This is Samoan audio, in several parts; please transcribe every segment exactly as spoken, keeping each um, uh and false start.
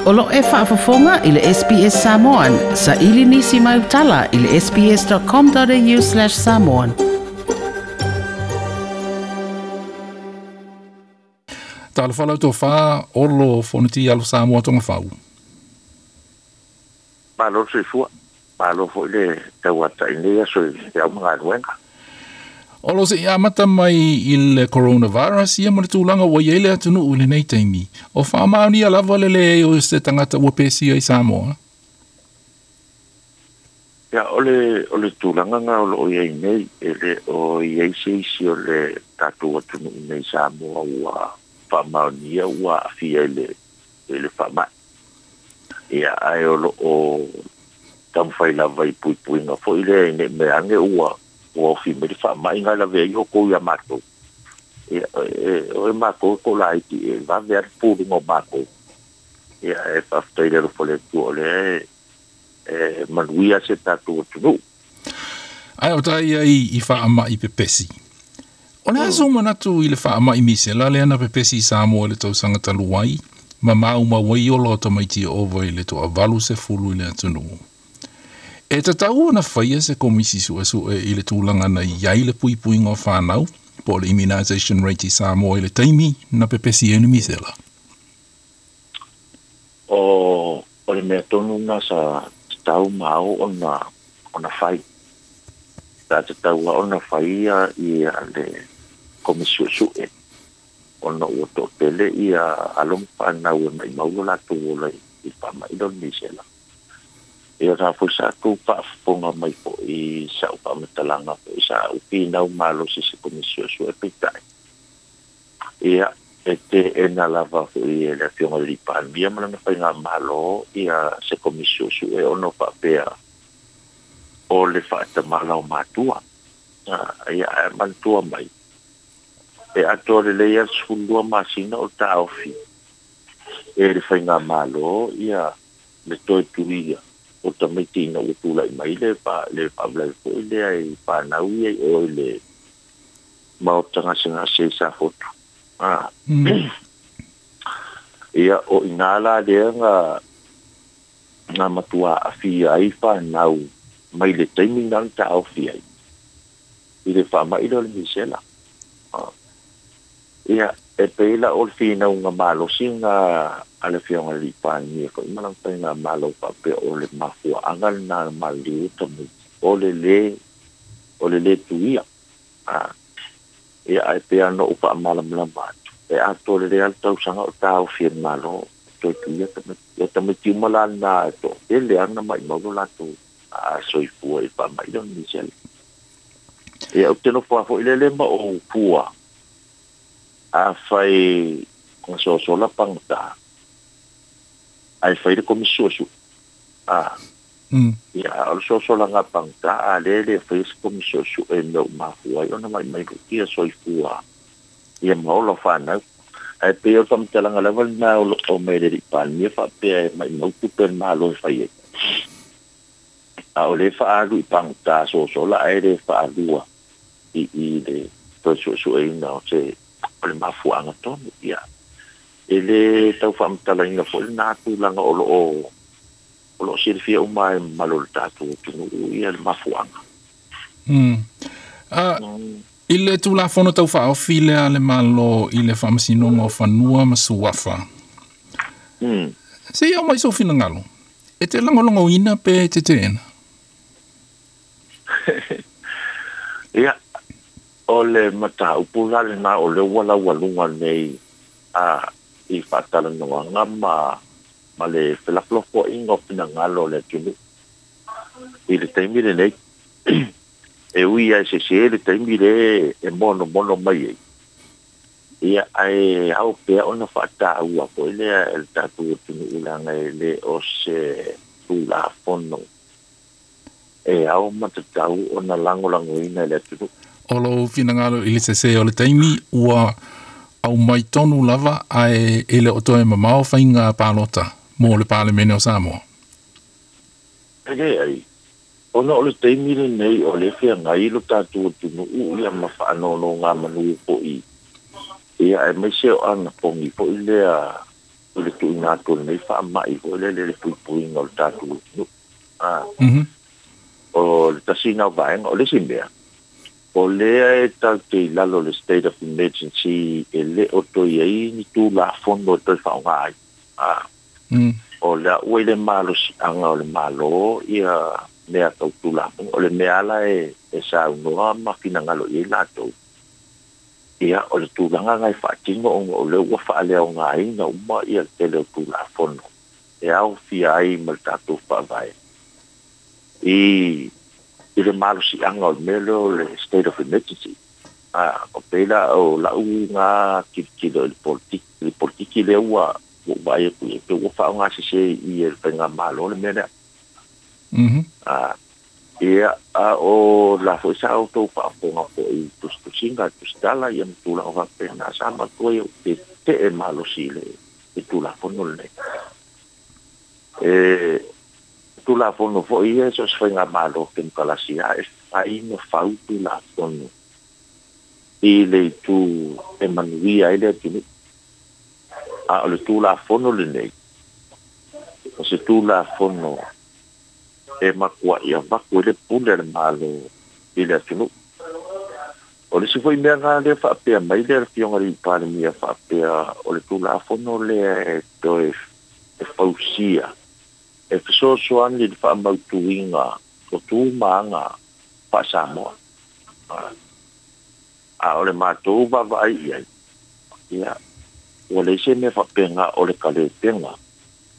O lo e faafofoga i le S B S Samoan, sa ili nisi mai utala i le sbs.com.au slash samoan. Talo whalau tō whā, olo fonoti alu Samoa tonga whau. Malo soifua, malo foi le tauata i nei aso i te au mga. Olo se ia mata mai i le coronavirus, ia mo le tūlanga ua iei le atunu i lenei taimi. O whaamaonia lava le le o se tangata ua pesia i Samoa. Ia, o le, o le tūlanga ngā o lo o iei nei, e le o iei se isi o le tātou atunu i nei Samoa ua whaamaonia ua afia i le, i le whaamai. Ia, ai o lo o tamwhai lava i puipuinga fo i le nei mea ange ua ua ofi me le whaamai ngai lave i hoko ia mātou. Ia, e, o e mātou ko la iti, e wawe ari pūrunga o mātou. Ia, e whaftai le rofo le tua o le e, e manuia se tātou atunu. Ai o tai ai i whaamai pepesi. O le aso manatu i le whaamai misela le ana pepesi i Samoa le tausanga taluai, ma mau mawai o lo tamaiti ova i le toa valu se fulu i le atunu. E tatau ona whaia se komisi suesue i le tūlanga na iai le puipuinga o whānau, po le immunization rate i Samoa i le taimi na pepesi e misela. O, o le mea tonu na sa tatau mau ona, ona whai. Ta tatau ona whaia i le komisi suesue. Ona ua to'atele ia alo ma whānau e mai mau o latou ola i whaamailo le misela. Ia tā fo sa kou whaafonga mai po i sa upa matalanga po i sa upi nau malo se se komisio su e peitai. Ia e te e nā lava fo i e le afioga le Palemia ma lana whainga malo ia se komisio su e ono whaapea o le whaatamala o mātua. Ia e mantua mai. E atoa le leia sefululua masina o taofi. E le whainga malo ia le toe tuia. O tamaiti ina ua tūlai mai le pa le whaamlai fo i lea i whanau ia i o i le maotanga senga se sa fotu. Ah. Mm. Ia o i ngā la lea ngā ngā matua awhia ai whanau mai le taimi nā ta awhia ai. I le whaamailo le misela. Ah. Ia e peila o le whinau ngā malosi ngā a le fionga li Palemia ko i malang tai ngā malo pape o le mafua angal nā maliu tamu o le le o le le tuia. Ah. Ia ai pea no upa amalamlama atu. E ato le le al tausanga o tāu whian malo toi tuia tamu ia tamu tiumala nā e to e le ana mai mauro lātou a soifua i whaamailo ni misela. Ia o teno wha i le le ma o pua a whai ngā sosola pangata ai whai le komisio su. Ah. Mm. Ia, o le sosola ngā pangata a le le whai se komisio su e mea umafua i ona mai mai rukia soifua. Ia maola whanau. Ai pe o whamtalanga lewa nā o o mai le Palemia whapea e mai mautu pe malo e whai e. A o le whaalu i pangata sosola ai le whaalua i, i le toi su e ina o se o le mafuanga tonu ia. E le tau whaamtalaina fo le nā tūlanga o lo o o lo silifia uma e malo le tātou tunu ia le mafuanga. Mm. Uh, mm. I le tūlafono tau whaofi le a le malo i le whaamasinonga o whanua ma suafa. Mm. Se ia o mai so whinangalo. E te langolongo ina pe te tēna? Ia, o le mata upula le nā o le wala walunga nei a i whaatalanoanga ma, ma le whelaflofo inga o whinangalo le tunu. I le taimi le nei, e ui ai se se le taimi le e mono mono mai ei. Ia ai au pea ona whaataua ko i lea e le tātou tunu ulanga e le o se tūlafono. E au matatau ona langolango ina le tunu. O lo whinangalo i le sese o le taimi ua au mai tonu lava ae e le o toe mamao whainga pālota mō le Palemene o Samoa. E le ai, ona o le taimi le nei o le whia ngai lo tātou tunu u ia ma whaanono ngā manu po i. Ia e mai se o ana pongi po i lea I le tuuina atu o lenei faama'i foi lele le puipuiga o le tatou atunuu. A Mhm. O le tasi na o vaega. O le isi mea, o lea e tatou te i lalo o le state of emergency, e lē o toe ai ni tulafono e toe faaaoga ai. A Mm. o lea ua i le malosiaga o le Malo ia mea tau tulafono. O le mea ala e e saunoa ma finagalo i ai latou, ia o le tulaga na e faatino ona o lea ua faaleaogaina uma ia le tele o tulafono e aofia ai ma le tatou faavae i i le malosiaga o le mea lea o le state of emergency. A o pei la o lau ga tilotilo i le politiki le politiki lea ua ua vaai atu i ai pe ua faaaogasese i le faigamalo le mea lea. Mhm. A ia a o la foi sa outou faafofoga foi i tusitusiga, tusitala ia ma tulaga faapena, sa matua ia te te'e malosi i le i tulafono lenei. E tulafono foi ia so se faigamalo kemokalasi a e fai ma fau tulafono i le itu e manuia ai le atunuu. A o le tulafono lenei, o se tulafono e matua'i avatu i le pule a le Malo i le atunuu. O le isi foi mea na lea faapea mai le afioga i le Palemia faapea o le tulafono lea e toe e fausia e fesoasoani i le faamautuina o tu ma aga faa-Samoa. A o le matou vaavaai i ai, ia ua leai se mea faapena o le talepega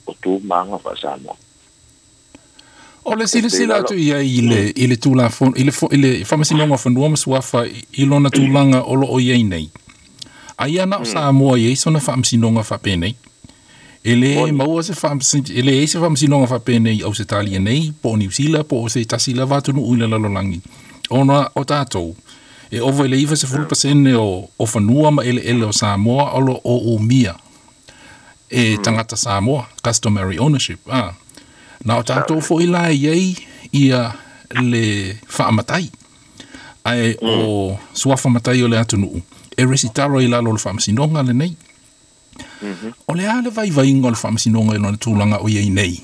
o tu ma aga faa-Samoa. O le silasila atu i ai i le, i le tulafono, i le, i le Faamasinoga o Fanua ma Suafa i lona tulaga o loo i ai nei. Aia na o Samoa i ai sona faamasinoga faapenei. E le maua se faamasinoga, e leai se faamasinoga faapenei i Ausetalia nei, po o Niu Sila, po o se tasi lava atunuu i le lalolagi. Ona o tatou, e ova i le iva sefulu pasene o, o fanua ma eleele o Samoa o lo o umia e tagata Samoa, customary ownership. Ah. Na o tatou foi la e i ai ia le faamatai. Ae o suafa matai o le atunuu, e resitala i lalo o le faamasinoga lenei. O le a le vaivaiga o le faamasinoga i lona tulaga o i ai nei,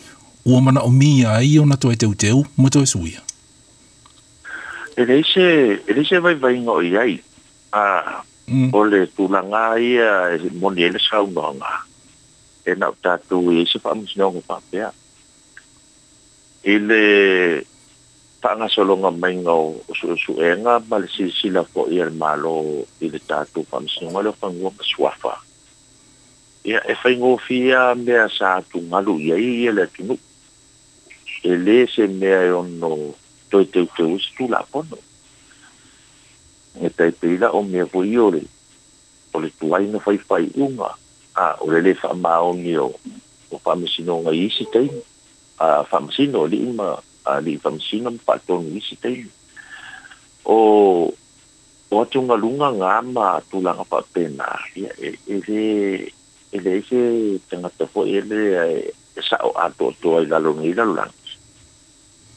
ua manaomia ai ona toe teuteu ma toe suia? E leai se e leai se vaivaiga o i ai. A Mm. o le tulaga ia e moni ai le saunoaga, e na o tatou i ai se faamasinoga faapea. I le faagasologa maiga o o suesuega ma le silasila foi a le Malo i le tatou Faamasinoga lea o Fanua ma Suafa, ia e faigofie mea sa atugalu i ai ia le atunuu. E lē se mea e ono toe teuteu ai se tulafono. E tai pei la o mea foi o le o le tuai na faifaiuga, a o le lē faamaoni o o faamasinoga i isi taimi, a faamasino alii ma alii faamasino ma faatonu i isi taimi. O o atugaluga gā ma tulaga faapena, ia e e lē e leai se tagata foi e lē e sa'o atoatoa i lalo nei lalolagi.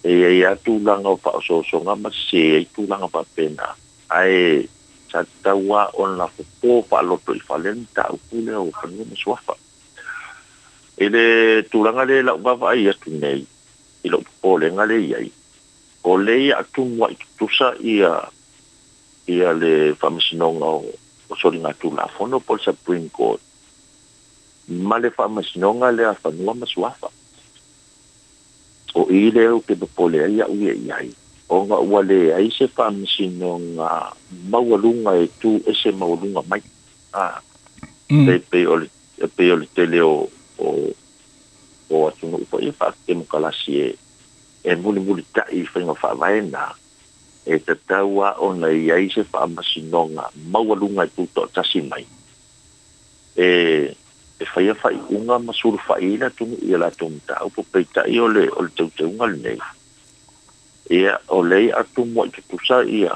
E iai a tulaga o faaosoosoga ma sesē ai tulaga faapena, ae sa tatau a ona fofo faaloto i fale le mataupu lea o fanua ma suafa. I le tulaga lea lau vaavaai atu nei i lou popolega le i ai, o lea ia atumu ai tutusa ia ia le Faamasinoga o o Soligatulafono po o le Supreme Court ma le Faamasinoga lea Fanua ma Suafa. O i lea ou te popole ai au ia i ai, ona ua leai se faamasinoga maualuga e tu ese maualuga mai. A Mm. e pei o le e pei o le tele o o o atunuu foi e faatemokalasi e e mulimulita'i i faiga faavae na e tatau a ona i ai se faamasinoga maualuga e tuto'atasi mai e e faia faaiuga ma sulufa'i ai le atunuu i a latou mataupu. Peita'i o le o le teuteuga lenei, ia o lea ia atumu ai tutusa ia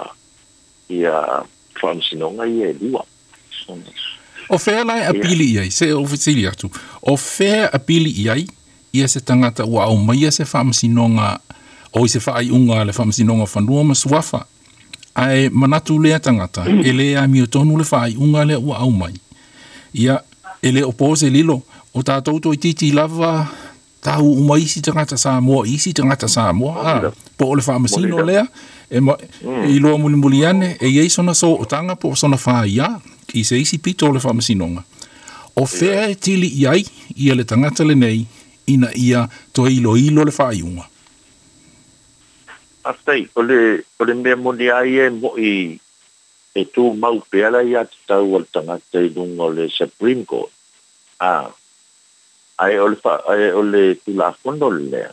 ia faamasinoga ia e lua. O fea la e Ia apili i ai, se o fesili atu, o fea apili i ai ia se tagata ua aumaia se faamasinoga o i se faaiuga a le Faamasinoga o Fanua ma Suafa, ae manatu lea tagata e lē amiotonu le faaiuga lea ua aumai? Ia E le o po se lilo o tatou toeitiiti lava tau uma isi tagata Samoa isi tagata Samoa po o le faamasino lea e ma, iloa mulimuli ane e iai sona sootaga po o sona fāiā i se isi pito o le faamasinoga. O fea e tili i ai ia le tagata lenei ina ia toe iloilo le faaiuga. Faafetai, o le o le mea moni ai e mo'i e tumau pea la ia tatau a le tagata i luga o le Supreme Court. A ae o le fa, ae o le Tulafono lea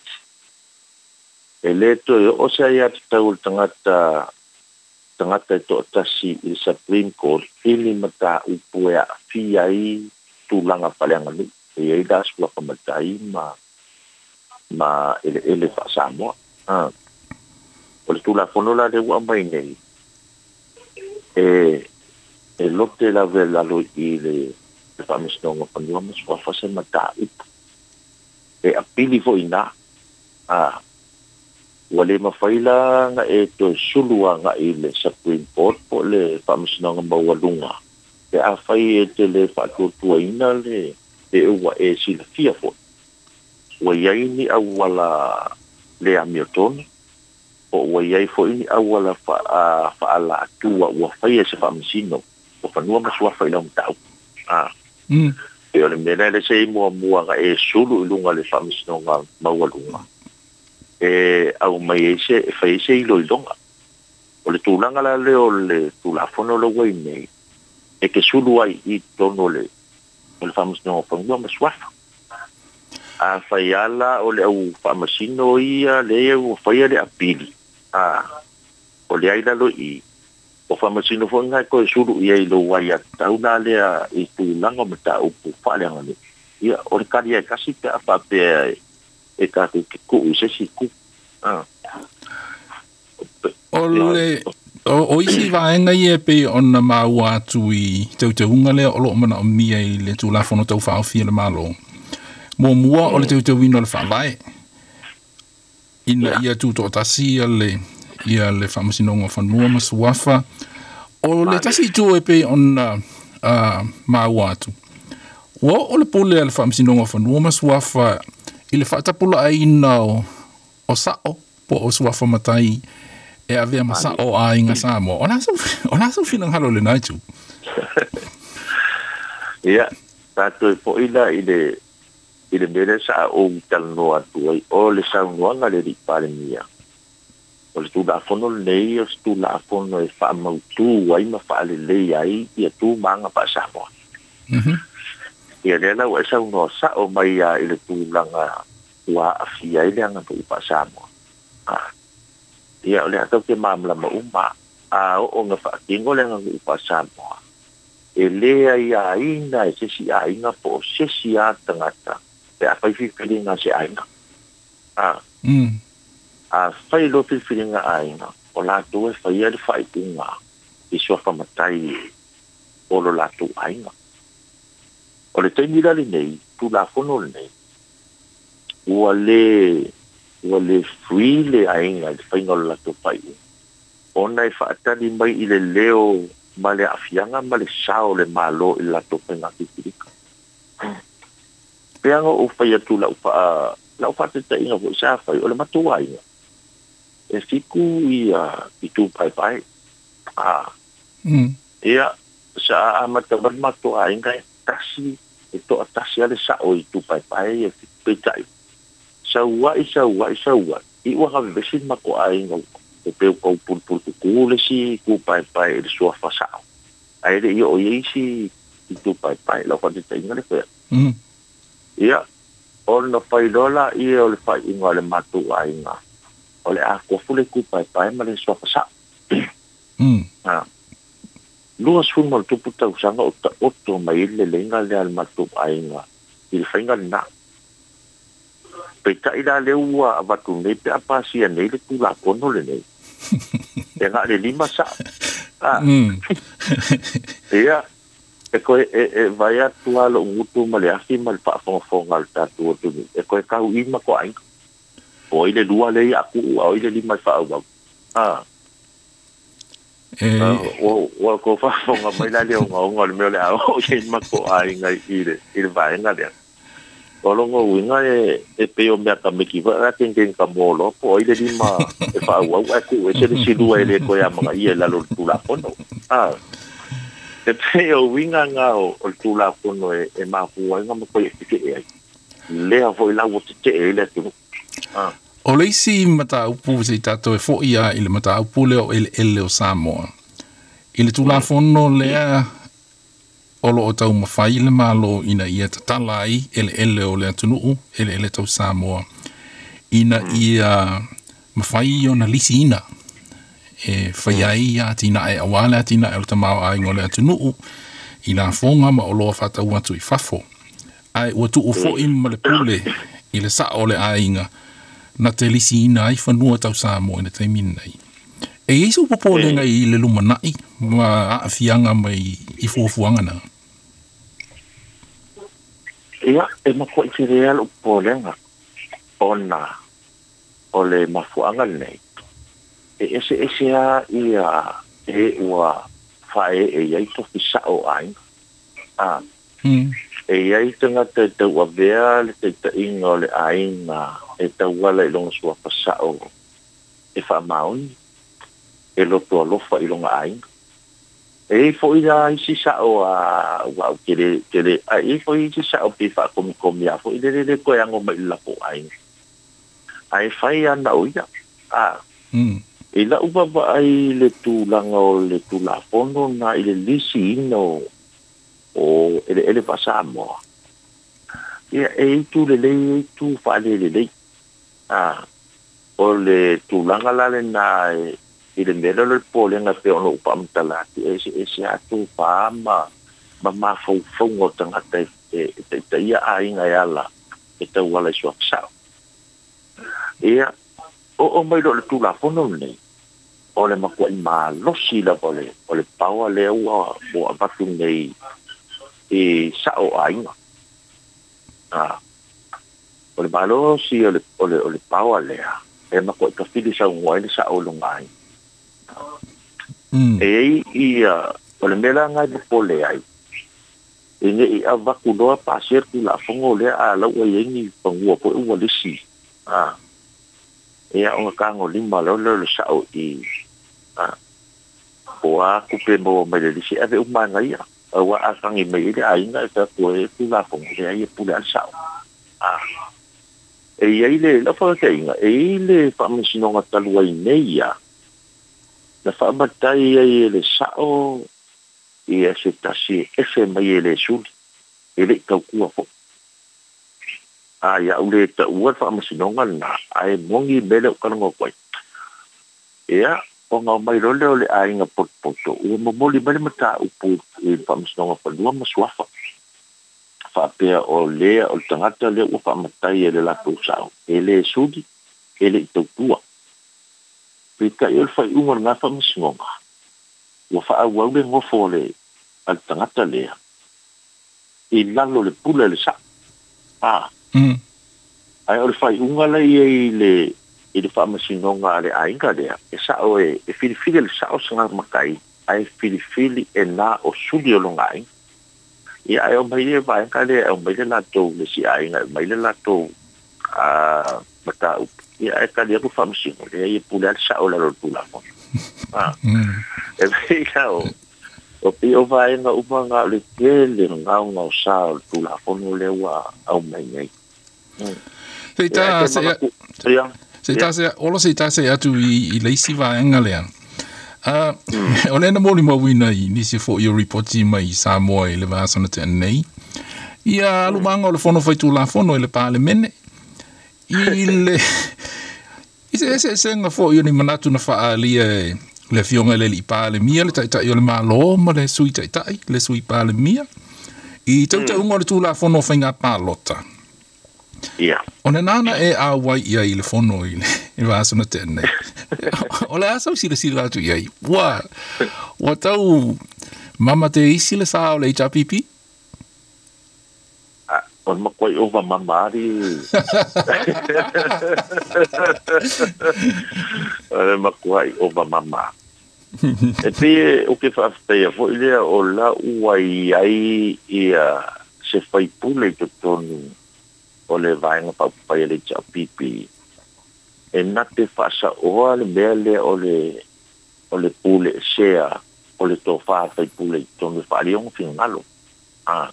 e lē toe oo se aiā tatau o le tagata tagata e to'atasi i le Supreme Court i ni mataupu e aafia ai tulaga faaleaganuu e iai la suafa matai ma ma eleele faasamoa. A o le Tulafono la lea ua aumai nei e e lote lava i lalo i le le Faamasinoga o Fanua ma Suafa se mataupu e apili fo'i ina. A ua lē mafai la na e toe sulu aga'i i le Supreme Court po o le Faamasinoga Maualuga pe afai e te lē faatuatuaina le e ua e silafia fo'i ua iai ni auala le amiotonu po ua iai fo'i ni auala faalaatua ua faia e se faamasino o fanua ma suafa i lau mataupu. A mm. E o le mea lea le se i muamua na e sulu i luga le Faamasinoga Maualuga e aumai ai se e fai ai se iloiloga. O le tulaga la lea o le Tulafono le ua i nei e te sulu ai i totonu o le o le Faamasinoga o Fanua ma Suafa. A fai ala o le au faamasino ia lea ua faia le apili, a o le ai lalo i o faamasino fo'i lena e toe sulu i ai i lou aiā tatau la lea i tulaga o mataupu faaleaganuu. Ia o le kali ai tasi pe a faapea e tatou te tuu i se isi itu. A O le o, o isi vaega ia e pei ona maua atu i teuteuga lea o loo manaomia i le Tulafono Taufaaofi a le Malo. Muamua o le teuteuina o le Faavae ina ia tutoatasi ia le ia le Faamasinoga o Fanua ma Suafa. O le tasi itu e pei ona uh, maua atu ua oo le pule a le Faamasinoga o Fanua ma Suafa i le faatapulaaina o, o sa'o po o suafa matai e avea ma sa'o aiga Samoa. O le a o le a sou finagalo i lenā itu? Ia tatou fo'i la i le i le mea lea sa ou talanoa atu ai o le saunoaga a le alii Palemia o le Tulafono lenei o se Tulafono e faamautū ai ma faalelei ai ia tu ma aga faasamoa. Mm-hmm. Ia lea la ua e saunoa sa'o mai a i le tulaga ua aafia ai le aganuu faasamoa. A ia o le a tatou te malamalama uma a oo na faatino le aganuu faasamoa e lē aiāina e se isi aiga po o se isi a tagata pe a fai filifiliga a se aiga. A mm. A fai loa filifiliga aiga o latou e faia le faaiuga i suafa matai o lo latou aiga. O le taimi la lenei Tulafono lenei ua lē ua lē free le aiga i le faiga o le latou faaiuga ona e faatali mai i le leo ma le aafiaga ma le sao o le Malo i le latou faiga filifiliga. Peaga ou fai atu lau faa lau faataitaiga fo'i sa fai o le matou aiga e fitu ia itu paepae. A mm. Ia sa amata mai le matou aiga e tasi e to'atasi a le sa'o i itu paepae ia fitu. Peitai saua'i saua'i saua'i i ua gavevesi le matou aiga o peu kau pulupulu kukū le isi itu paepae i le suafa sa'o ae le'i oo i ai isi itu paepae lau faataitaiga le fai atu. Mm. Ia ona fai loa laia o le faaiuga a le matou aiga o le a tofu le itu paepae ma le suafa sa'o. Mm. A lua sefulu ma le tupu tausaga o ta'oto mai ai le leleiga lea a le matou aiga i le faiga lenā. Peitai la lea ua avatu nei pe a pasia nei le Tulafono lenei e na o le lima sa'o. A mm. Ia e koe e, e vai atu a lo'u gutu ma le afi ma le faafogafoga a le tatou atunuu e koe tau'i ma toaiga o ai le lua lea ia a tuu a o ai le lima e faaauau. A E ua ua kou faafofoga mai la le ogaoga o le mea o le a oo i ai matou aiga i le i le vaega lea. O logo uiga e e pei o mea tameki foi a kenken ka mo loa po o ai le lima e faaauau ae tuu ese le silua e lē toe amagaia i lalo o le Tulafono. A e pei o uiga gā o o le Tulafono e e mafua ai ona matua feke'e ai lea foi la ua tete'e ai le atunuu. A O le isi mataupu se i tatou e fo'i a i le mataupu lea o eleele o Samoa. I le Tulafono lea o loo taumafai le Malo ina ia tatala ai eleele o le atunuu, eleele tau Samoa, ina ia mafai ona lisiina e fai ai atinae auā le atinae o le tamaoaiga o le atunuu i lafoga ma oloa faatau atu i fafo. Ae ua tuu fo'i ma le pule i le sa'o o le aiga na te lisiina ai fanua tau Samoa i le taimi lenei. E i ai sou popolega i le lumana'i ma aafiaga mai i fuafuaga na? Ia, e matua'i telē a lo'u popolega ona o le mafuaaga lenei e eseese a ia e ua faae'e i ai tofi sa'o o aiga. A e i ai tagata e tauavea le taita'iga o le aiga e tauala i lona suafa sa'o e faamaoni e loto alofa i lona aiga. E i ai fo'i la isi sa'o a ua ou te te le ae i ai foi isi sa'o pe faakomikomi a foi le le toe ago mai i le latou aiga. Ae fai ana o ia. A i la'u vaavaai i le tulaga o le Tulafono na i le lisiina o o eleele faa-Samoa, ia e i itu lelei e i itu faalelelei. A o le tulaga la lenā e i le mea lea o le popolega e pei ona ou faamatala atu e eseese atu fā ma ma mafaufauga o tagata e e taitaia aiga e ala e tauala i suafa sa'o. Ia oo mai loa i le Tulafono lenei o le matua'i malosi lava o le o le paoa lea ua ua avatu nei i sa'o o aiga. A o le malosi o le o le o le paoa lea e matua'i tafili saunoa ai le sa'o i lona aiga. E i ai ia o le mea la lena e popole ai e ne'i avatu loa pasia le Tulafono lea a lau ua i ai ni fanua foi ua lisi a ia ona tagolima loa lea o le sa'o i a po o a tupe e maua mai le lisi e ave uma ana ia auā a tagi mai ai le aiga e fai atu ai e Tulafono leai e pule a le sa'o. A e i ai le lau faataitaiga e i ai le faamasinoga talu ai nei ia na faamatai ai e le sa'o ia se tasi e ese mai e lē suli e le'i tautua fo'i. A ia ou lē ta'ua le faamasinoga lenā ae moni le mea lea ou talanoa atu ai. Ia ona omai loa lea o le aiga potopoto ua momoli mai le mataupu i le Faamasinoga Fanua ma Suafa faapea o lea o le tagata lea ua faamatai e le latou sa'o e lē suli e le'i tautua. Peitai o le faaiuga o lenā faamasinoga ua faaauau le nofo a le a le tagata lea i lalo o le pule a le sa'o. A ae o le faaiuga la i ai i le i le faamasinoga a le aiga lea e sa'o e e filifili e le sa'o se matai ae filifili e nā o suli o lona aiga. Ia ae aumai le vaega lea e aumai le latou le isi aiga e aumai le latou a mataupu ia ae tali atu le faamasino leai e pule a le sa'o i lalo o le Tulafono. A e pei la o o pei o vaega uma na o le tele gaogaosā o le Tulafono lea ua aumai nei. Se i Ia ae ta te se manatu ia se i ia ta se olo se i ta se atu i i le isi vaega lea. A o lea na molimauina i nisi fo'i o ripoti mai i Samoa i le vaiaso na tea nei ia alumaga o le Fono Faitulafono i le Palemene i le i se eseesega fo'i o ni manatu na faaalia e le afioga i le alii Palemia, le Taitai o le Malo, ma le Sui Taitai, le Sui Palemia, i teuteuga o le Tulafono o Faiga Palota. Ia. O lenā na e auai i ai i le fono i le i le vaiaso na tea nei. O le a sau silasila atu i ai? Ua ua tau mama te isi le sa o le H R P P? A o le matuai ova mama ali o le matuai ova mama. E pe o ke whaaftaia fo i lea o la ua i ai ia se whaipule i totonu o le vaenga paupai le H P P. E na te whaasa oa le mea lea o le o le pule sea o le tofā whaipule i tonu whaalionga whingalo. Ah.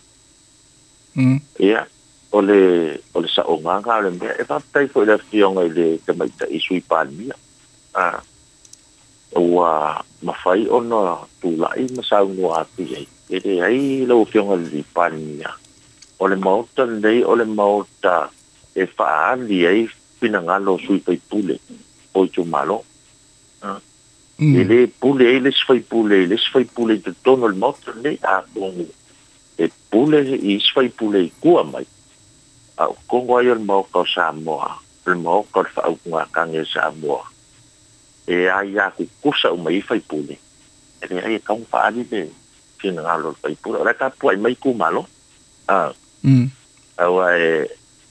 Mm. Ia, o le o le saonganga o le mea e whaatai fo i le fionga i le tamaita i sui palmia. Ah. Ua mawhai ona tūlai masau noa atu iai. E le ai lau fionga li palmia. O le maota nei o le maota e whaali ai pinangalo sui whaipule o i tūmalo. Ah. Mm. E le pule ai le sfaipule, le sfaipule i te tono le maota nei a kongu. E pule i sfaipule i kua mai. A o kongo ai o le maoka o Samoa, o le maoka o le whaaukunga kange Samoa. E ai a kukusa o mai i whaipule. E le ai e kaunga whaali le pinangalo le whaipule. O le ka pua i mai kumalo. Ah. Mm. Aua e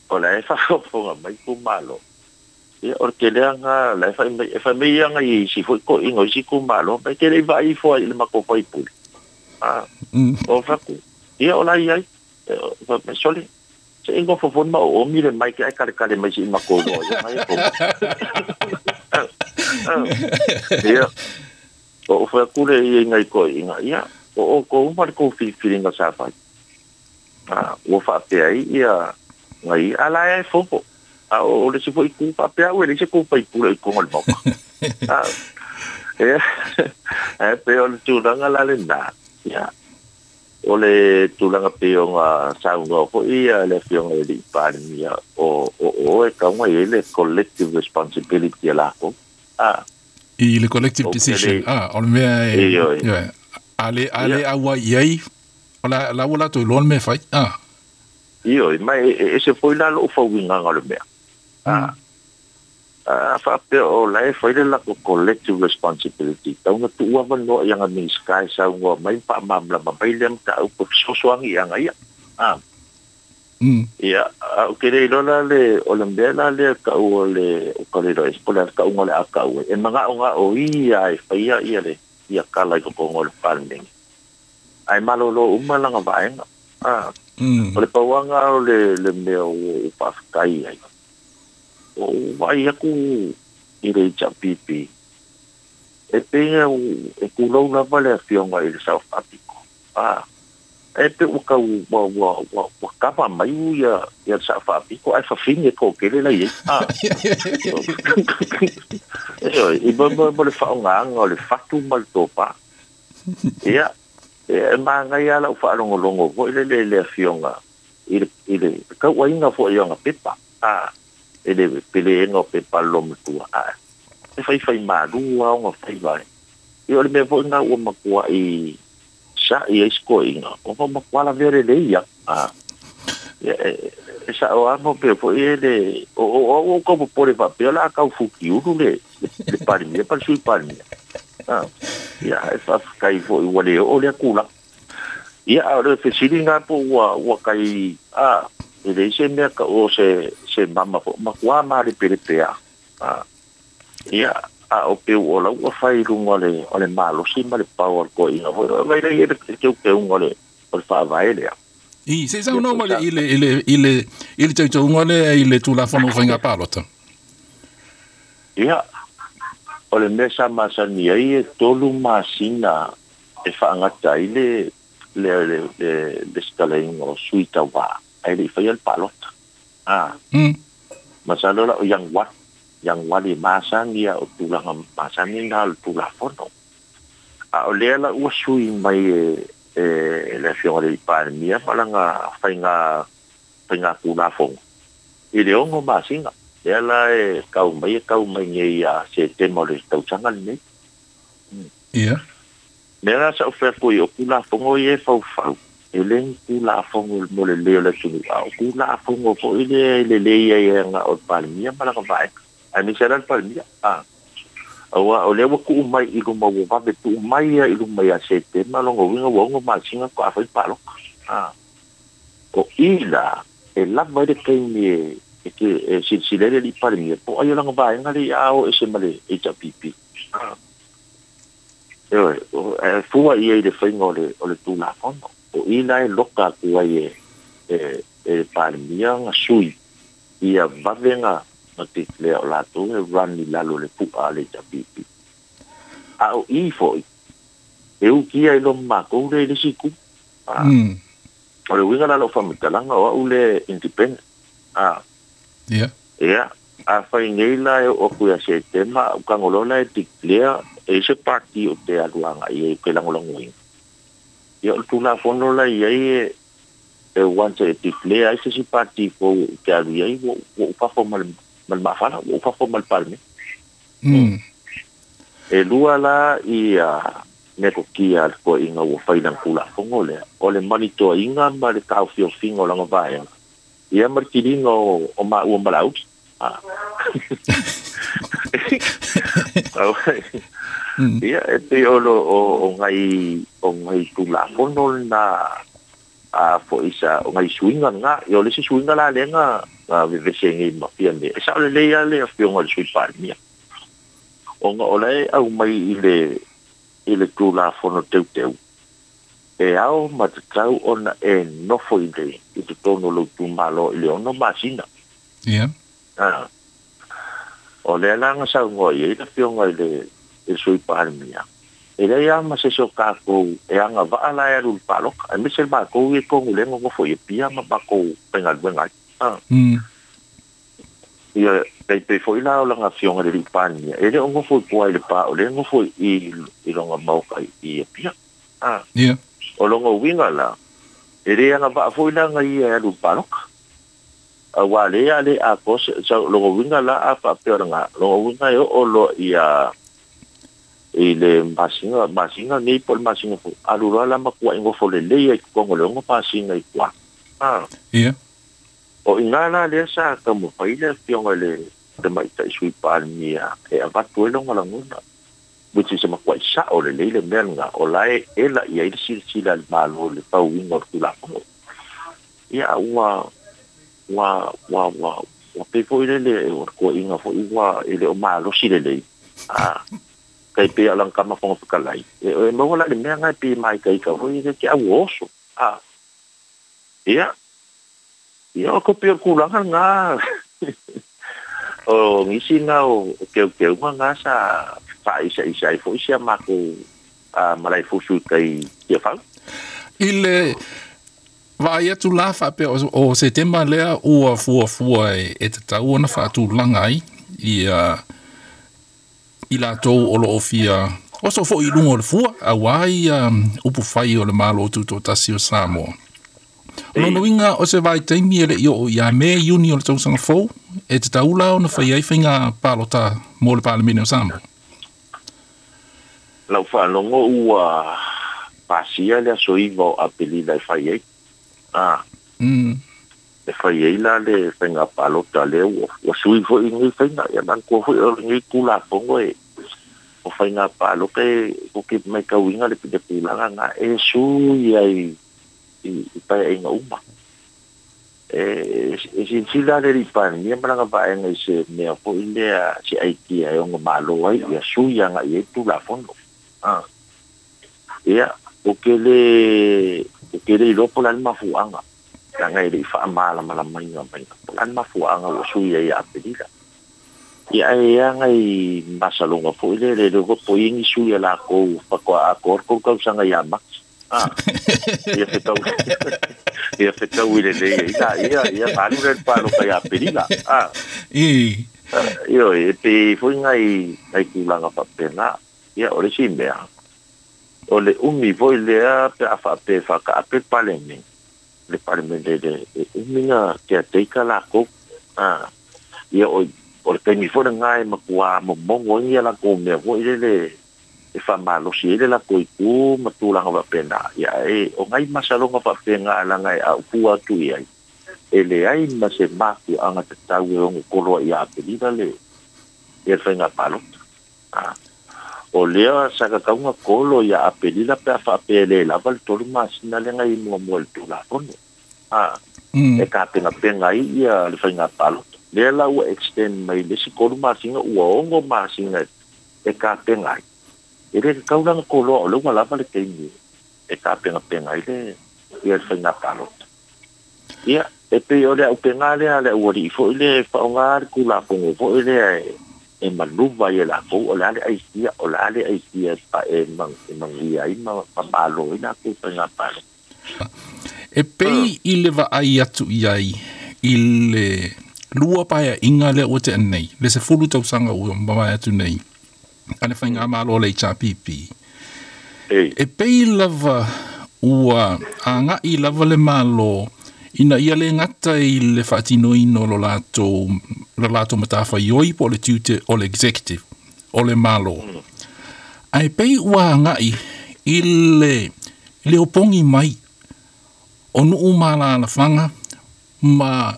o le whakafonga mai kumalo. Ia o te leanga le whai mai e whai mai anga i si fo ko ingo i si kumalo mai te le vai fo i le mako whaipule. Ah. Mm. O whaku. Ia o lai ai. E me soli. Se ingo fofon ma o mi le mai ke ai kare kare mai si mako no ia mai ko. Ia. O whaku le i ngai ko inga. Ia o o ko umar ko whiringa sa whai. Ah, ua whaapea i ia ngai ala e fofo. A o le si foi ku whaapea ue le se ku whaipule i kongo le mauka. Ah, e, e pe o le tūranga la le nā. Ia. O le tūranga pe o ngā saunga fo ia le fionga e li parimia o o o e kaunga i le collective responsibility a lako. Ah. I le collective decision. Ah, o le mea e... Ia. Ale, ale aua i ai, o la, la ua lato i loa le mea whai. Ah. Io, mai e se foi la lo fauinga le mea. Ah. Ah, whaapea o la e whai le lako collective responsibility. Taunga tuua wanoa i anga ni sky saunga mai pa mamlama mai lea mta au po sosoangi i anga ia. Ah. Mm. Ia, au ke le lola le o le mea la le ka o le o ka le roe, o le ka unga le a ka ue. E manga o nga o ia e whaia ia le ia kala i kokongo le palmeng. Ai malolo umalanga vaenga. Ah. Mm. O le pauanga o le, le mea o, o pawhakai ai. O vai aku i le H P P. E pēnga e kūlau lava le afionga i le South Africa. Ah. E pe ua kau ua ua ua ua kapa mai u ia ia South Africa ai whawhine ko kele lai e. Ah. E oi, i mo mo le whaongaanga o le whatu ma le tōpa. Ia. E maangai ala u whaalongolongo fo i le le le afionga i le i le kauainga fo i anga pepa. Ah. E le pele enga o pepa lo matua. Ah. E whai whai maru a onga whai vai. I o le mea fo ngā ua makua i sa i e sko inga. O fa makua la vere le ia. Ah. E, e, e sa o amo pe fo i le o o o o ko pore pa pe la kau fuki uru le le parimia pa sui parimia. Ah. Ia e fa kai fo i wale o le kula. Ia o le fesilinga po ua ua kai ah e le se mea ka o se se mama fo makua ma le pere pea. Ah. Ia a o pe o la ua whai runga le o le malosi ma le pau o ko inga fo vai le le te ke unga le o le whaavae lea. I se sau no ma le i le i le i le i le tautuunga le i le tulafono whainga pālota. Ia o le mea sa masani ai e tolu masina e whaangata i le le le le le stalainga o sui tawa ai le whai al pālota. Ah. Mm. Masalo la o yang wat yang wali masangi o tulaga masangi na o tulafono. A o lea la ua sui mai e e le afioga le Palemia ma langa whainga whainga tulafono. I le ongo masinga. Lea la e kau mai e kau mai ngei a se tema o le tausaga lenei. Ia. Mea la sa o whea i o tulafono i e faufau. E le tulafono mo le leo le sunu. A o tulafono fo i le le le ia ia nga o Palemia ma langa vaega. Ai me sera Palemia. Ah. Aua o lea ua kuu mai i luma ua vave tuu mai ia i luma ia se tema longo winga ua ongo masinga ko a whai paloka. Ah. O ila e lava i le kaimi e e ke e silsilele li Palemia po ai o langa vaega le a o e se ma le H P P. Ah. E fua ia i le faiga o le o le Tulafono. O i la e loka atu ai e e e Palemia ga sui ia vavega na declare o latou e run i lalo o le pu'a a le H P P. A o i fo'i e ukia i lo makou le i le siku. Ah. Mm. O le uiga la lou faamatalaga o a'u le independent. Ah. Ia. Ia, afai nei la e oo atu ia Setema a'u tagoloa la e declare e se pati o te alu aga'i ai ke lagolagoina. Ia o le Tulafono la iai e e once e declare ai se isi pati fou ou te alu i ai ua ua ou fafo ma le ma le mafala ua ou fafo ma le Palemene. Mm. E lua la ia metotia a le toeaiga ua fai lana Tulafono lea o le malitoaiga ma le taofiofiga o lana vaega ia ma le tiliga o o maua ma Laauli. Ah. Mm. Ia e pei o lo o o ngai o ngai Tulafono lena a fo'i sa o ngai suiga lena ia o le isi suiga la lea na na vevese ai nei ma Fiame e sa'o lelei a le afioga i le Sui Palemia ona o la e aumai i le i le Tulafono teuteu e ao ma tatau ona e nofo i le i totonu o lou itumalo i le ono masina. Ia. Ah. O lea la na saunoa i ai le afioga i le i le Sui Palemia e leai lava ma se isi o tatou e agava'a la e alu i le palota aemaise le matou ia i tonu lea nonofo i Apia ma matou faigaluega ai. Ah. Mm. Ia tai pei fo'i la o lana afioga i le alii Palemia e le o nofo i tua i le pā o lea e nofo i i lona maoka i Apia. Ah. Ia. O lona uiga la e lē agava'a fo'i laga ia e alu i le palota auā lea a lē atoa se sa lona uiga la a faapea o lagā lona uiga e oo loa ia i le masina masina nei po o le masina fou alu loa la matua'i nofo lelei ai i totonu o le ono masina i tua. Ah. Ia. O iga la lea sa taumafai le afioga i le tamaita'i Sui Palemia e avatu ai lona lagona which is e matua'i sa'o lelei le mea lagā o la e ela i ai le silasila a le Malo i le pauiga o le Tulafono. Ia a ua ua ua ua ua pei fo'i lele o le toeaiga fo'i ua e le o malosi lelei. Ah. Tai pei o lana tama fofoga fetalai e e maua la le mea lagā e pei e maitaita fo'i le te au oso. Ah. Ia. Ia o ko pei o le tulaga lagā o nisi na o o teuteuga gā sa fa'aisa'isa ai fo'i si a matou a malaefusu i tai Tiafau. I le vaai atu la faapea o o Setema lea ua fuafua e e tatau ona faatulaga ai ia i latou o loo fia oso fo'i i luga o le fua auā ia upu fai o le Malo Tutoatasi o Samoa. O lona uiga o se vaitaimi e le'i oo ia Me Iuni o le tausaga fou e tatau la ona fai ai faiga palota mo le Palemene o Samoa. Lau faalogo ua pasia le aso iva o Apelila e fai ai. Ah. Mm. E fai ai la le faiga palota lea ua ua sui fo'i lenei faiga ia manatua fo'i o lenei Tulafono e o faiga palota e ou te maitauina le le tulaga lagā e sui ai i i paeaiga uma. E e silasila le alii Palemia ma lana vaega i se mea fo'i lea se aitia e ono malo ai ia sui aga'i ai le Tulafono. Ah. Ia o ke le o ke le iloa po o le a le mafu'aga leaga e le'i fa'amalamalamaina mai po o le a le mafu'aga ua sui ai ia Apelila. Ia ae aga i masaloga fo'i lea le le po i ai ni sui a lakou faatoa atoa le tolu tausaga ia Mati. Ah. Ia fetau ia fetau i lelei ai laia ia ona alu lea i le palota ia Apelila. Ah. I. Ioe e pei fo'i nai nai tulaga faapena. Ia o le isi mea o le umi fo'i lea pe a faapea e faataape le Palemene le Palemene le e umi na caretaker lakou. Ah. Ia o o le taimi fo'i lagā e matuā momogo ai ia lakou mea fo'i lele e faamalosi ai le latou itu ma tulaga faapena. Ia e o nai masaloga faapena laga e a'ufua atu i ai e leai ma se mafua'aga tatau e ono kolo ai ia Apelila le ia le faiga palota. Ah. O lea sa tatau ona kolo ia Apelila pe a faapea e lē lava le tolu masina lea na i muamua i le Tulafono. Ah. Mm. E tapenapena ai ia le faiga palota. Lea la ua extend mai le isi tolu masina ua ono masina e tapena ai. E le kaulanga koloa o le ua lava le taimi e tapegapega ai le ia le faiga palota. Ia e pei o le auupega lea le aualii foʻi le faaaogā le tulafono foʻi lea e e maluva ai e lakou o le a le aisia o le a le aisia e manuia ai ma malo ai lakou faiga palota. E pei i le vaai atu i ai i le lua paeaiga lea ua tea nei le sefulu tausaga ua mavae atu nei a le faigamalo o le H R P P. E pei lava ua agaʻi lava le malo ina ia le gata i le faatinoina o lo latou lo latou matafaioi po o le tiute o le executive o le malo. Ae pei ua agaʻi i le le opogi mai o nuu ma alalafaga ma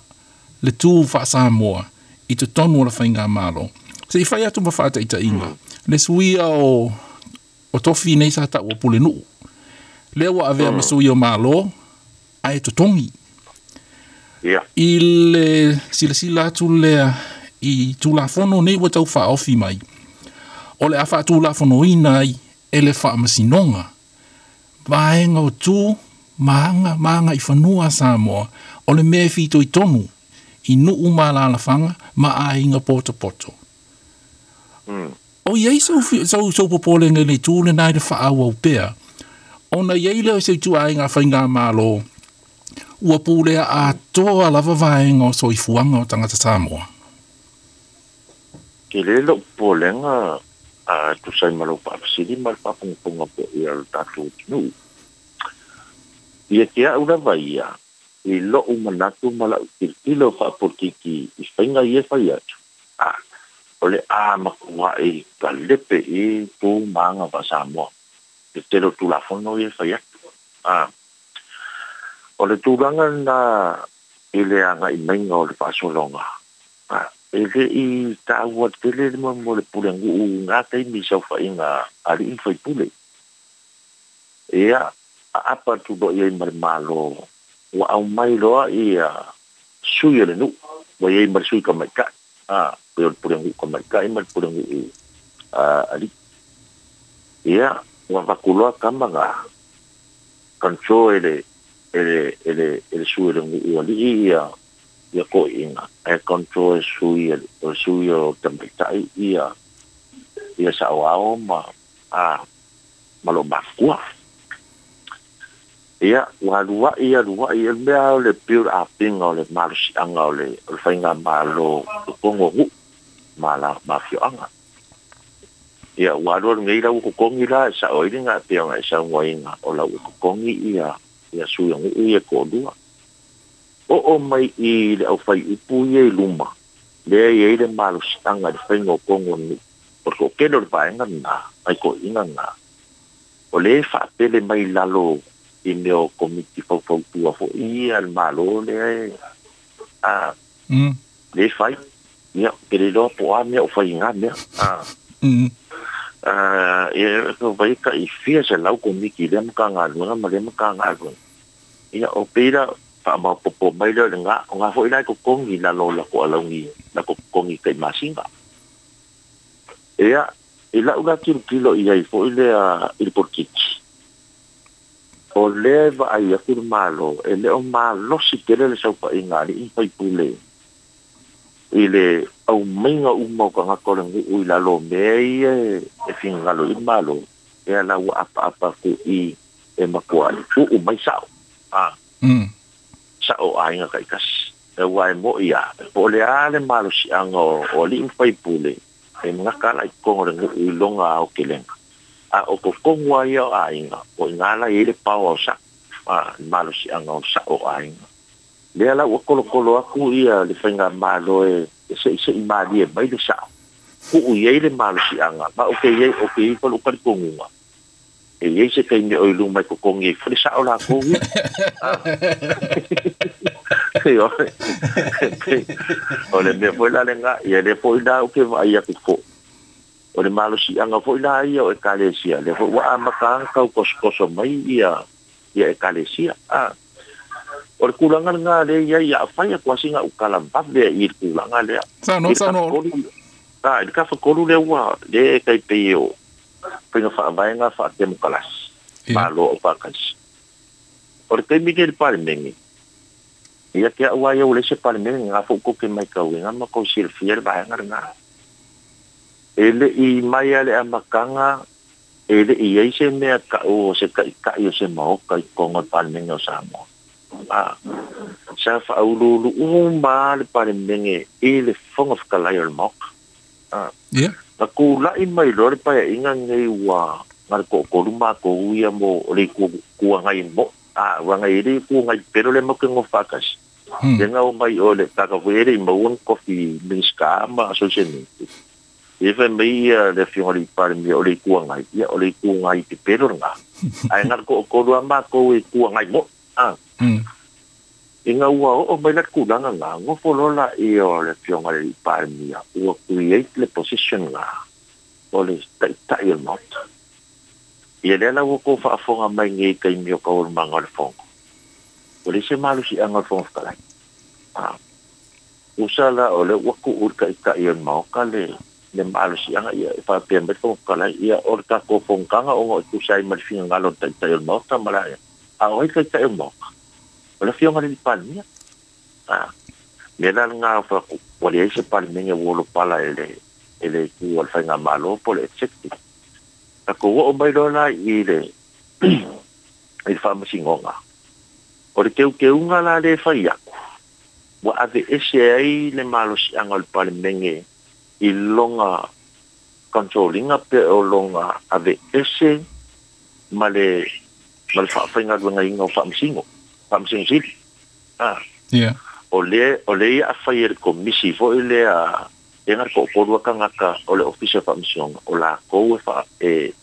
le tu faasamoa i totonu o le faigamalo. Se i fai atu ma faataitaiga le suia o o tofi nei sa taua pulenuu lea ua avea ma sui o malo ae totogi. I le silasila atu lea i tulafono nei ua taufaaofi mai o le a faatulafonoina ai e le faamasinoga vaega o tu ma aga ma aga i fanua a Samoa o le mea e fitoitonu i nuu ma alalafaga ma aiga potopoto. O iai sau sau sau popolega i le itu lenā i le faaauau pea ona iai lea o se ituaiga faigamalo ua pulea atoa lava vaega o soifuaga o tagata Samoa. Ke le lou popolega a tusa ai ma lou faafesili ma le faafogafoga foʻi a le tatou atunuu. Ia te a'u lava ia i lo'u manatu ma la'u tilotilo faapolitiki i faiga ia e fai atu a o le a matuaʻi kalepe i tu ma aga faasamoa le tele o tulafono ia e fai atu a o le tulaga lenā i le agaʻi maiga o le faasologa a e leʻi taua tele le mo le pulenuu gā taimi i saofaiga alii ma faipule. Ia aapa atu loa iai ma le malo ua aumai loa ia sui o le nuu ua iai ma le sui tamaitaʻi a pe o le pulenuu tamaitaʻi ma le pulenuu alii. Ia ua avatu loa tama na control e le e le e le e le sui o le nuu alii ia ia toeaiina ae control e sui o sui o tamaitaʻi ia ia saoao ma a ma loo mafua. Ia ua aluaʻi aluaʻi e le mea o le pei o le apiga o le malosiaga o le o le faigamalo totonu o nuu ma la ma afioaga. Ia ua alu alu nei la ua totogi la e sao ai le gape ona e saunoaina o la ua totogi ia ia sui o nuu ia toalua. Oo mai i le aufaiupu ia i luma lea e iai le malosiaga i le faiga o tonu o nuu o le toatele o le vaega lenā ai toeaiina lenā o le faapele mai lalo i mea o komiti faufautua foʻi ia le malo lea e a le fai. Ia ke le iloa po o a mea o fai i gā mea a ia vai ka i fia selau komiti i lea matagaluega ma lea matagaluega. Ia o pei la faamaopoopo mai lea o le gā o gā foʻi la e totogi i lalo o latou alauni latou totogi kai masina. Ia i la'u la tilotilo i ai foʻi lea i le polokiki o lea e vaai atu le malo e le o malosi tele le saofaiga alii ma faipule i le aumaiga uma o tagata o le nuu i lalo o mea ia e finagalo i le malo e ala ua apaapa atu i e matuaʻi uu mai sao a sao aiga taitasi e ua e moʻi a po o le a le malosiaga o alii ma faipule e gata la i totonu o le nuu i lona aotelega a o totonu lava ia o aiga o iga la iai le paoa o sa'o a le malosiaga o sa'o o aiga. Lea la ua kolokolo atu ia le faigamalo e seʻiseʻi malie mai le sa'o tuu i ai le malosiaga ma o ke iai o ke iai fa lou talitonuga e iai se taimi o i luma e totogi ai foi le sa'o lakou ia. O le mea foi la lenā ia lea foi la ou te vaai atu foʻi o le malosiaga foi la ia o ekalesia lea foi ua amata aga tau tosotoso mai ia ia ekalesia a o le tulaga lenā lea iai ia afai atu lava sina ukala vave ai i le tulaga lea Saunoa, i le saunoa. tafatolu a i le tafatolu lea ua lea e taipei o Faiga faavaega faatemokalasi malo o faakasi. O le taimi nei i le Palemene, ia te au ai au le se Palemene nga fou koke mai kauiga ma kou silafia le vaega lena. E le'i mai a le amataga e le'i ai se mea ta'u o se taʻitaʻi o se maoka i totonu o le Palemene o Samoa. A sa faauluulu'u uma le Palemene i le Fofoga Fetalai o le Maota. A Ia. Na tula'i mai loa le paeaʻiga lenei ua na le toʻatolu matou ia mo o le itu agai mo a ua agai le itu agai pelo le matou nofo faatasi. Hmm. Le na o mai o le tagata foi e le'i maua ni tofi Minisita ma Associate. Ia fai mai ia le afioga i le Palemia o le itu agai, ia o le itu agai pepelo lena. Ae na le toʻatolu a matou e itu agai mo. A Hmm. ina ua oo mai la tulaga na gofo loa laia o le afioga i le Palemia ua create le position la o le taʻitaʻi o le Maota. Ia lea la ua kou faafofoga mai nei i taimi o taualumaga o le fono. O le isi malosiaga o le Fofoga Fetalai. A usa la o le ua tuu i le taʻitaʻi o le Maota le le malosiaga ia e faapea mai le Fofoga Fetalai ia o le tatou fonotaga ona o tusa ai ma le finagalo o le taʻitaʻi o le Maota ma la a o ai taʻitaʻi o le Maota. O le afioga i le Palemia. A mea la lena ua leai se Palemene ua olopala e le e le itu o le faigamalo po o le executive. Tatou oo mai loa la i le i le faamasinoga. O le teuteuga la lea e fai atu, ua aveese ai le malosiaga o le Palemene i lona control ina pe o lona aveese ma le ma le faafaigaluegaina o faamasino, faamasino sili. A Ia. o le o le ia afai e le komisi foi lea e na le toʻatolu a tagata o le ofisa o faamasinoga o lakou e faa e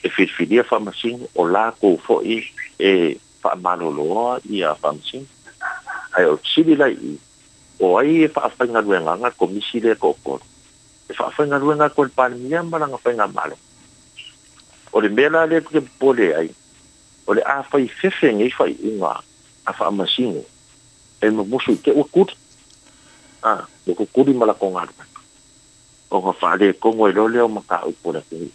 e filifilia faamasino o lakou foi e faamaloloa ia faamasino. Ae o sili la i o ai e faafaigaluegaga le komisi lea toʻatolu e faafaigaluega atu e le Palemia ma lana faigamalo. O le mea la lea ke popole ai o le a fai fefe nei faaiuga a faamasino e mamusu i te ua kuli. A ua kukuli ma lakou galuega ona faaletonu ai loa lea o mataupu o le atunuu.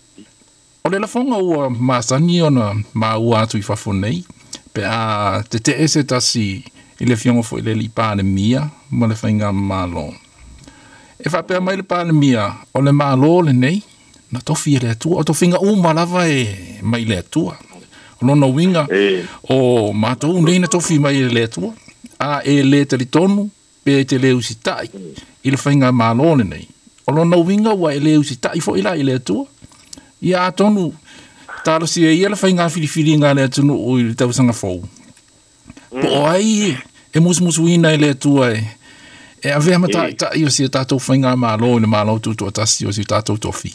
O le lafoga ua masani ona maua atu i fafo nei, pe a tete'e se tasi i le afioga foi le alii Palemia ma le faigamalo. E faapea mai le Palemia, o le Malo lenei, na tofi e le Atua, o tofiga uma lava e mai le Atua. O lona uiga, E o matou nei na tofi mai e le Atua, a e le talitonu pe e te le usita'i i le faigamalo lenei. O lona uiga ua e le usita'i foi la i le Atua. Ia atonu talosia ia le faiga filifiliga a le atunuu i le tausaga fou. Po o ai e musumusuina e le Atua e e avea ma e taʻitaʻi o si o tatou faigamalo i le Malo Tutoatasi o si o tatou tofi.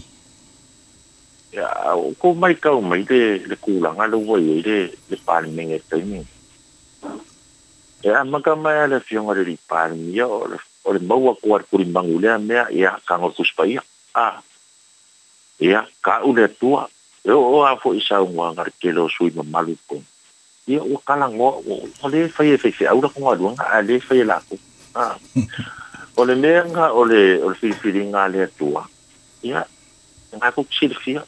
Ia o kou matau mai le le tulaga le ua i ai le le Palemene i le taimi. E amata mai a le afioga i le alii Palemia o le o le maua atu a le tulimagu i lea mea ia tago o le Tusi Paia. A ia ta'u le Atua e oo a fo'i saunoaga a le tele o sui mamalu i totonu. Ia ua talanoa ua lē fai e faifeau latou galuega ae lē fai e latou. A o le mea lena o le o le filifiliga a le Atua ia lena tou te silafia.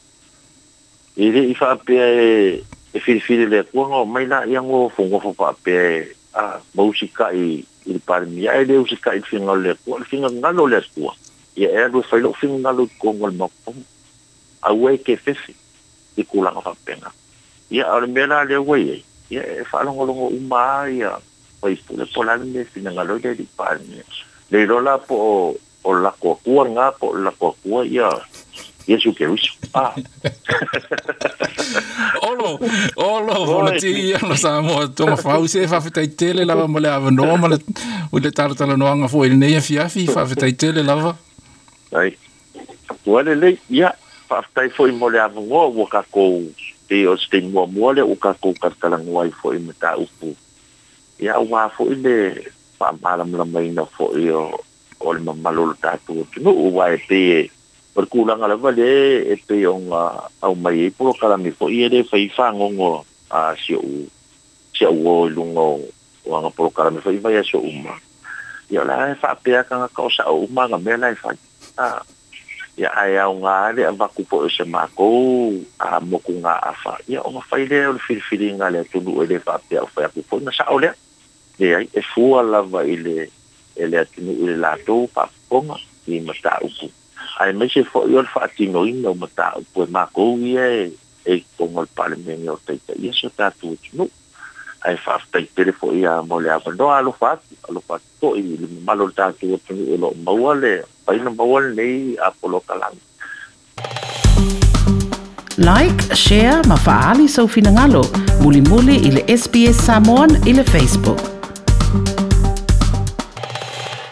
E le'i faapea e e filifili e le Atua ona omai laia nofonofo faapea e a ma usita'i i le Palemia ae le usita'i i le finagalo o le Atua. O le finagalo o le Atua ia e alu e fai lo'u finagalo i totonu o le Maota aua e te fefe i tulaga faapena. Ia a o le mea la lea ua i ai ia e faalogologo uma a ia faipule po o le a le mea e finagalo ai le alii Palemia. Le iloa la po o o le latou Atua lena po o le latou Atua ia Iesu Keriso. A Olo, olo, oi volati ia lo Samoa tonga fau se faafetai tele lava mo le avanoa ma le o le talatalanoaga foi i lenei afiafi, faafetai tele lava. Ai ua lelei ia faafetai foi mo le avanoa ua tatou pei o se taimi muamua lea ua tatou talatalanoa ai foi i mataupu ia aua foi le faamalamalamaina foi o o le mamalu o le tatou atunuu aua e pei e o le tulaga lava lea e pei ona aumai ai polokalame foi e lē fai fagogo a si o'u si a'u uo i luga o o aga polokalame foi vaiaso uma. Ia o la e faapea tagata o sa'o uma aga mea la e fai. A Ia ae aoga le avatu po o se makou a mokugaafa, ia ona fai lea o le filifiliga a le atunuu, e lē faapea o fai atu foi na sa'o lea. Leai, e fua lava i le e le atunuu i le latou faafofoga i mataupu, ae maise fo'i o le faatinoina o mataupu e makou ia e e i totonu o le Palemene o taitaia si o tatou atunuu. Ae faafetai tele fo'i a mo le avanoa. Alofa atu, alofa atu fo'i i le mamalu o le tatou atunuu o loo maua le faina maua lenei polokalame. Like, share ma faaali sou finagalo. Mulimuli i le S B S Samoan i le Facebook.